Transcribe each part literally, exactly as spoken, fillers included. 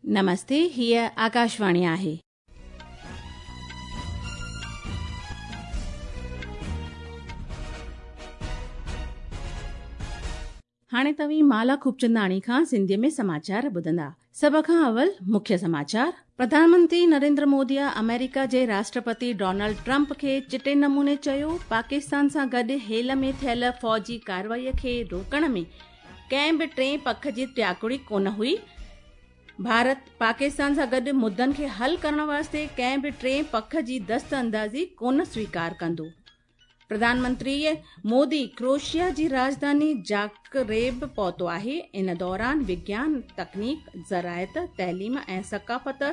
नमस्ते, हीअ आकाशवाणी आहे। हाणे तव्हीं माला खूबचंदाणी खां सिंधीअ में समाचार ॿुधंदा। सभ खां अवल मुख्य समाचार। प्रधानमंत्री नरेंद्र मोदीअ अमेरिका जे राष्ट्रपति डोनाल्ड ट्रंप खे चिटे नमूने चयो, पाकिस्तान सां गॾु हेल में थियल फ़ौजी कार्रवाईअ खे रोकण में कंहिं बि टे पख जी टियाकुड़ी कोन हुई। भारत पाकिस्तान सां गॾु मुद्दनि खे हल करण वास्ते कंहिं बि टे पख जी दस्त अंदाज़ी कोन स्वीकार कंदो। प्रधानमंत्री मोदी क्रोएशिया जी राजधानी ज़ाग्रेब पहुतो आहे। इन दौरान विज्ञान, तकनीक, ज़राअत, तइलीम ऐं सकाफ़त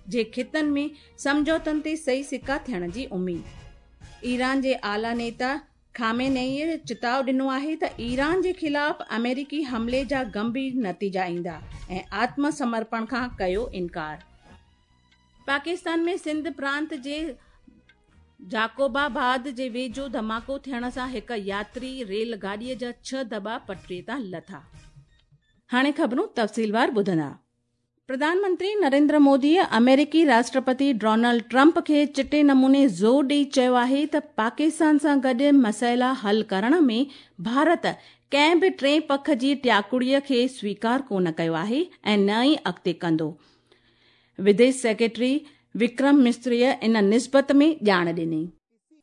जे ख़ितनि में सम्झौतनि ते सही सिक्का थियण जी उम्मीद। ईरान जे आला नेता खामेनेई चिताव ॾिनो आहे त ईरान जे ख़िलाफ़ अमेरिकी हमले जा गंभीर नतीजा ईंदा ऐं आत्मसमर्पण खां कयो इनकार। पाकिस्तान में सिंध प्रांत जे जाकोबाबाद जे वेझो धमाको थियण सां हिकु यात्री रेल गाॾीअ जा छह दॿा पटरीअ तां लथा। हाणे ख़बरूं तफ़सीलवार ॿुधंदा। प्रधानमंत्री नरेंद्र मोदीअ अमेरिकी राष्ट्रपति डोनाल्ड ट्रंप खे चिटे नमूने ज़ोर ॾेई चयो आहे त पाकिस्तान सां गॾु मसइला हल करण में भारत कंहिं बि टे पख जी टियाकुड़ीअ खे स्वीकार कोन कयो आहे ऐं न ई अॻिते कंदो। विदेश सेक्रेटरी विक्रम मिस्त्रीअ इन निस्बत में ॼाण ॾिनी।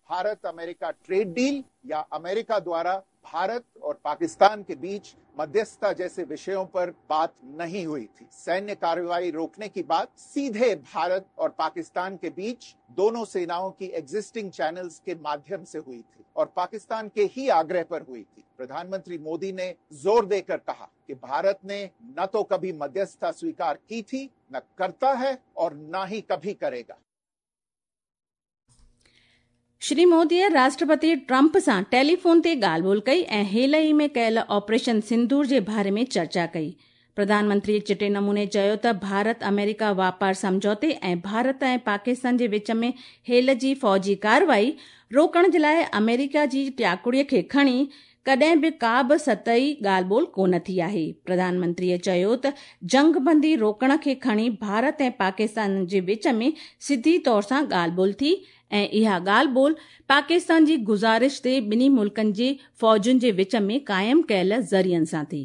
भारत अमेरिका ट्रेड डील या अमेरिका द्वारा भारत और पाकिस्तान के बीच मध्यस्थता जैसे विषयों पर बात नहीं हुई थी। सैन्य कार्रवाई रोकने की बात सीधे भारत और पाकिस्तान के बीच दोनों सेनाओं की एग्जिस्टिंग चैनल्स के माध्यम से हुई थी और पाकिस्तान के ही आग्रह पर हुई थी। प्रधानमंत्री मोदी ने जोर देकर कहा कि भारत ने न तो कभी मध्यस्थता स्वीकार की थी, न करता है और न ही कभी करेगा। श्री मोदीअ राष्ट्रपति ट्रंप सां टेलीफोन ते ॻाल्हि ॿोल कई ऐं हेल ई में कयल ऑपरेशन सिंदूर जे बारे में चर्चा कई। प्रधानमंत्री चिटे नमूने चयो त भारत अमेरिका वापार सम्झौते ऐं भारत ऐं पाकिस्तान जे विच में हेल जी फ़ौजी कार्रवाई रोकण जे लाइ अमेरिका जी टियाकुड़ीअ खे खणी कॾहिं बि का बि सतही ॻाल्हि ॿोल कोन थी आहे। प्रधानमंत्रीअ चयो त जंगबंदी रोकण खे खणी भारत ऐं पाकिस्तान जे विच में सिधी तौर सां ॻाल्हि ॿोल थी ऐं इहा ॻाल्हि ॿोल पाकिस्तान जी गुज़ारिश ते ॿिन्ही मुल्कनि जे फ़ौजुनि जे विच में क़ाइमु कयल ज़रियनि सां थी।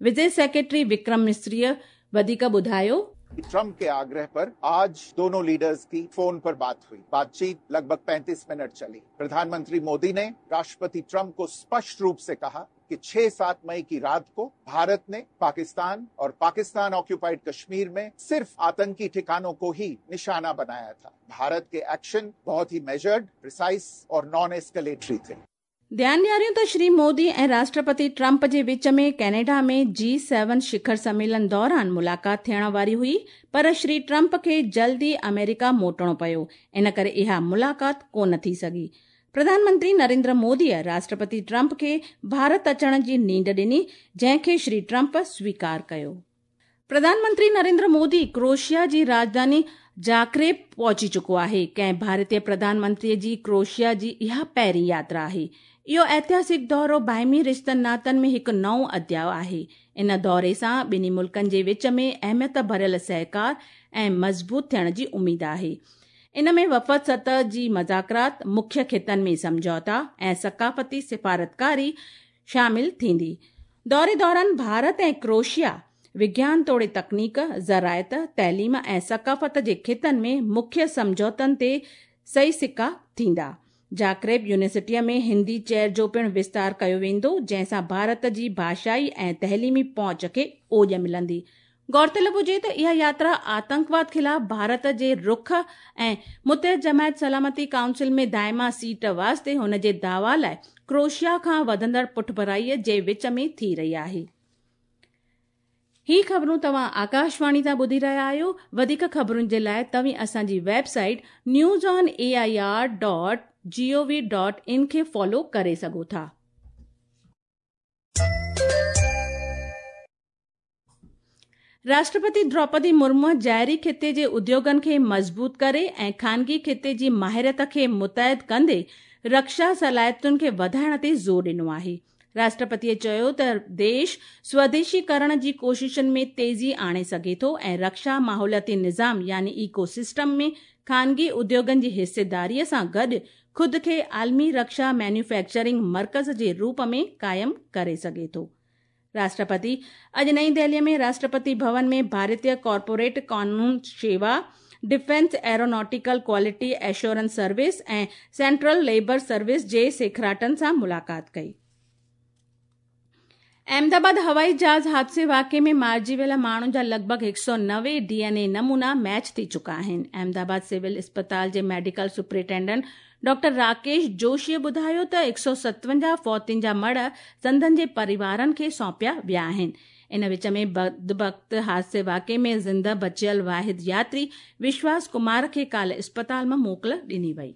विदेश सेक्रेटरी विक्रम मिस्त्रीअ वधीक ॿुधायो, ट्रंप के आग्रह पर आज दोनों लीडर्स की फोन पर बात हुई। बातचीत लगभग पैंतीस मिनट चली। प्रधानमंत्री मोदी ने राष्ट्रपति ट्रंप को स्पष्ट रूप से कहा कि छह सात मई की रात को भारत ने पाकिस्तान और पाकिस्तान ऑक्यूपाइड कश्मीर में सिर्फ आतंकी ठिकानों को ही निशाना बनाया था। भारत के एक्शन बहुत ही मेजर्ड, प्रिसाइज और नॉन एस्केलेटरी थे। ध्यानु ॾियारियूं त श्री मोदी ऐं राष्ट्रपति ट्रंप जे विच में कैनेडा में जी सेवन शिखर सम्मेलन दौरान मुलाक़ात थियण वारी हुई, पर श्री ट्रंप खे जल्दी अमेरिका मोटणो पियो, इन करे इहा मुलाक़ात कोन थी सघी। प्रधानमंत्री नरेंद्र मोदीअ राष्ट्रपति ट्रंप खे भारत अचण जी नींड ॾिनी, जंहिंखे श्री ट्रंप स्वीकार कयो। प्रधानमंत्री नरेंद्र मोदी क्रोएशिया जी राजधानी ज़ाग्रेब पहुची चुको आहे। कंहिं भारतीय प्रधानमंत्रीअ जी क्रोएशिया जी इहा पहिरीं यात्रा आहे। इहो ऐतिहासिक दौरो बाहिमी रिश्तनि नातनि में हिकु नओं अध्याय आहे। इन दौरे सां ॿिन्ही मुल्कनि जे विच में अहमियत भरियल सहकार ऐं मज़बूत थियण जी उम्मीद आहे। इन में वफ़द सतह जी मज़ाकरात, मुख्य ख़ितनि में सम्झौता ऐं सकाफ़ती सिफारतकारी शामिल थींदी। दौरे दौरान भारत ऐं क्रोएशिया विज्ञान तोड़े तकनीक, ज़राअत, तइलीम ऐं सकाफ़त जे ख़ितनि में मुख्य सम्झौतनि ते सही सिक्का थींदा। ज़ाग्रेब यूनिवर्सिटीअ में हिंदी चेयर जो पिणु विस्तार कयो वेंदो, जंहिंसां भारत जी भाषाई ऐं तइलीमी पहुच खे ओॼ मिलंदी। गौरतलब हुजे त इहा यात्रा आतंकवाद ख़िलाफ़ भारत जे रुख ऐं मुतहद जमायत सलामती काउंसिल में दाइमा सीट वास्ते हुन जे दावा लाइ क्रोएशिया खां वधंदड़ पुठभराईअ जे विच में थी रही आहे। ही ख़बरूं तव्हां आकाशवाणी तां ॿुधी रहिया आहियो। वधीक ख़बरुनि जे लाइ तव्हीं असांजी website news on A I R dot G O V dot in खे फॉलो करे सघो था। राष्ट्रपति द्रौपदी मुर्मू ज़ाहिरी ख़िते जे उद्योगनि खे मज़बूत करे ऐं ख़ानगी ख़िते जी माहिरत खे मुतैद कंदे रक्षा सलाहियतुनि खे वधाइण ते ज़ोर ॾिनो आहे। राष्ट्रपतीअ चयो त देश स्वदेशीकरण जी कोशिशनि में तेज़ी आणे सघे थो ऐं रक्षा माहौलियाती निज़ाम यानी इकोसिस्टम में ख़ानगी उद्योगनि जी हिस्सेदारीअ सां गॾु ख़ुदि खे आलमी रक्षा मैन्युफैक्चरिंग मर्कज़ जे रूप में क़ाइमु करे सघे थो। राष्ट्रपति अॼु नई दिल्लीअ में राष्ट्रपति भवन में भारतीय कॉर्पोरेट कानून शेवा, defence aeronautical quality assurance service ऐं सेंट्रल लेबर सर्विस जे सेखराटनि सां मुलाक़ात कई। अहमदाबाद हवाई जहाज़ हादसे वाक़े में मारिजी वियल माण्हुनि जा लॻभॻि हिकु सौ नवे डी एन ए नमूना मैच थी चुका आहिनि। अहमदाबाद सिविल इस्पताल जे मेडिकल सुपरिटेंडेंट डॉक्टर राकेश जोशीअ ॿुधायो त हिकु सौ सतवंजाह फौतियुनि जा मड़ संदन जे परिवारनि खे सौंपिया विया आहिनि। इन विच में बदबख़्त हादसे वाक़े में ज़िंदा बचियल वाहिद यात्री विश्वास कुमार खे काल्ह इस्पताल मां मोकिल ॾिनी वई।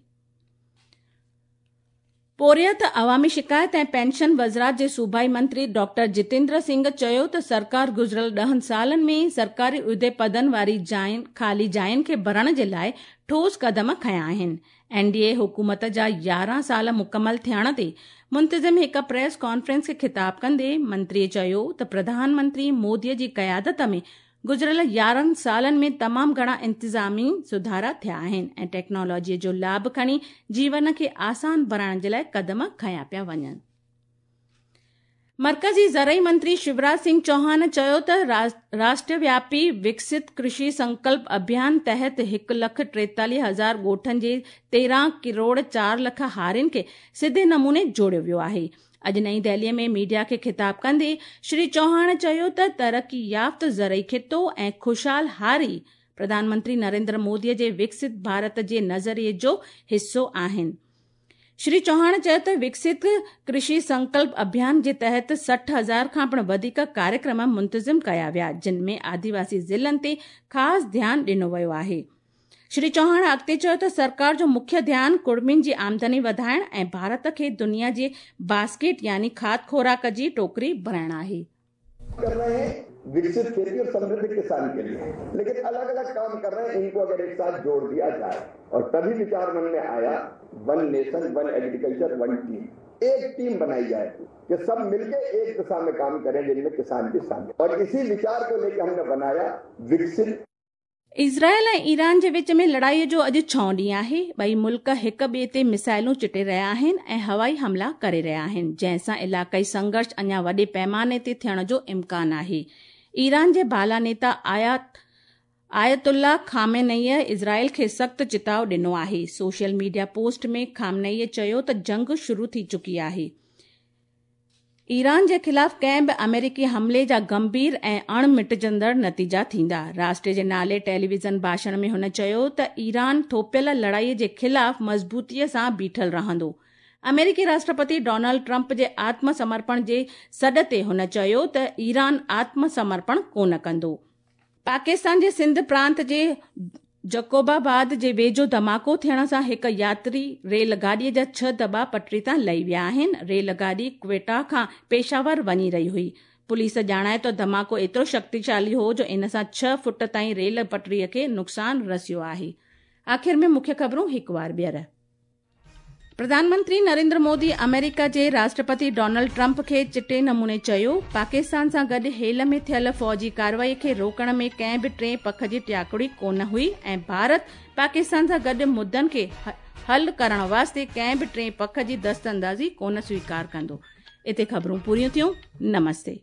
पोरियत, अवामी शिकायत ऐं पेंशन वज़ारत जे सूबाई मंत्री डॉक्टर जितेंद्र सिंह चयो त सरकार गुज़िरियल ॾहनि सालनि में सरकारी उहिदे पदनि वारी जाइनि ख़ाली जाइनि खे भरण जे लाइ ठोस कदम खयां आहिनि। एन डी ए हुकूमत जा यारहं साल मुकमल थियण ते मुंतज़िम हिकु प्रेस कॉन्फ्रेंस खे ख़िताब कंदे मंत्रीअ चयो त प्रधानमंत्री मोदीअ जी क़यादत में गुज़िरियल यारहं सालनि में तमामु घणा इंतिज़ामी सुधारा थिया आहिनि ऐं टेक्नोलॉजीअ जो लाभ खणी जीवन खे आसान बणाइण जे लाइ कदम खयां पिया वञनि। मर्कज़ी ज़रई मंत्री शिवराज सिंह चौहान चयो त राष्ट्रव्यापी विकसित कृषि संकल्प अभियान तहत हिकु लख टेतालीह हज़ार ॻोठनि जे तेरहं करोड़ चारि लख हारियुनि खे सिधे नमूने जोड़ियो वियो आहे। अॼु नई दिल्लीअ में मीडिया खे ख़िताब कंदे श्री चौहान चयो त तरक़ी याफ़्त ज़रई ख़ितो ऐं ख़ुशहाल हारी प्रधानमंत्री नरेंद्र मोदीअ जे विकसित भारत जे नज़रिए जो हिसो आहिनि। श्री चौहान चयो त विकसित कृषि संकल्प अभियान जे तहत सठि हज़ार खां पिणु वधीक कार्यक्रम मुंतज़िम कया विया, जिन में आदिवासी ज़िलनि ते ख़ासि ध्यानु ॾिनो वियो आहे। श्री चौहान अॻिते चयो त सरकार जो मुख्य ध्यानु कुड़मियुनि जी आमदनी वधाइण ऐं भारत खे दुनिया जे बास्केट यानी खाद खुराक जी टोकरी बणाइण आहे। कर रहे हैं विकसित खेती और समृद्ध किसान के लिए, लेकिन अलग अलग काम कर रहे हैं, इनको अगर एक साथ जोड़ दिया जाए, और तभी विचार मन में आया one nation one agriculture one team, एक टीम बनाई जाए कि सब मिलके एक दिशा में काम करें जिनमें किसान भी शामिल। और इसी विचार को लेकर हमने बनाया विकसित। इज़राइल ऐं ईरान जे विच में लड़ाईअ जो अॼु छहों ॾींहुं आहे। ॿई मुल्क हिक ॿिए ते मिसाइलूं चिटे रहिया आहिनि ऐं हवाई हमला करे रहिया आहिनि, जंहिंसां इलाइक़ाई संघर्ष अञा वॾे पैमाने ते थियण जो इम्कान आहे। ईरान जे बाला नेता आयत आयतुल्ला खामेनईअ इज़राइल खे सख़्तु चिताव ॾिनो आहे। सोशल मीडिया पोस्ट में खामेनईअ चयो त जंग शुरू थी चुकी आहे। ईरान जे ख़िलाफ़ कंहिं बि अमेरिकी हमले जा गंभीर ऐं अण मिटजंदड़ नतीजा थींदा। राष्ट्र जे नाले टेलीविज़न भाषण में हुन चयो त ईरान थोपियल लड़ाईअ जे ख़िलाफ़ मज़बूतीअ सां बीठल रहंदो। अमेरिकी राष्ट्रपति डोनाल्ड ट्रंप जे आत्मसमर्पण जे सॾ ते हुन चयो त ईरान आत्मसमर्पण कोन कंदो। पाकिस्तान जे सिंध प्रांत जे जकोबाबाद जे वेझो धमाको थियण सां हिकु यात्री रेलगाॾीअ जा छह दॿा पटरी तां लही विया आहिनि। रेलगाॾी क्वेटा खां पेशावर वञी रही हुई। पुलिस ॼाणाए त धमाको एतिरो शक्तिशाली हो जो इन सां छह फुट ताईं रेल पटरीअ खे नुक़सानु रसियो आहे। आख़िर में मुख्य ख़बरूं हिकु वार ॿीहर। प्रधानमंत्री नरेंद्र मोदी अमेरिका जे राष्ट्रपति डोनाल्ड ट्रंप खे चिटे नमूने चयो, पाकिस्तान सां गॾु हेल में थियल फ़ौजी कार्रवाई खे रोकण में कंहिं बि टे पख जी टियाकुड़ी कोन हुई ऐं भारत पाकिस्तान सां गॾु मुद्दनि खे हल करण वास्ते कंहिं बि टे पख जी दस्तअंदाज़ी कोन स्वीकार कंदो। हिते ख़बरूं पूरियूं थियूं। नमस्ते।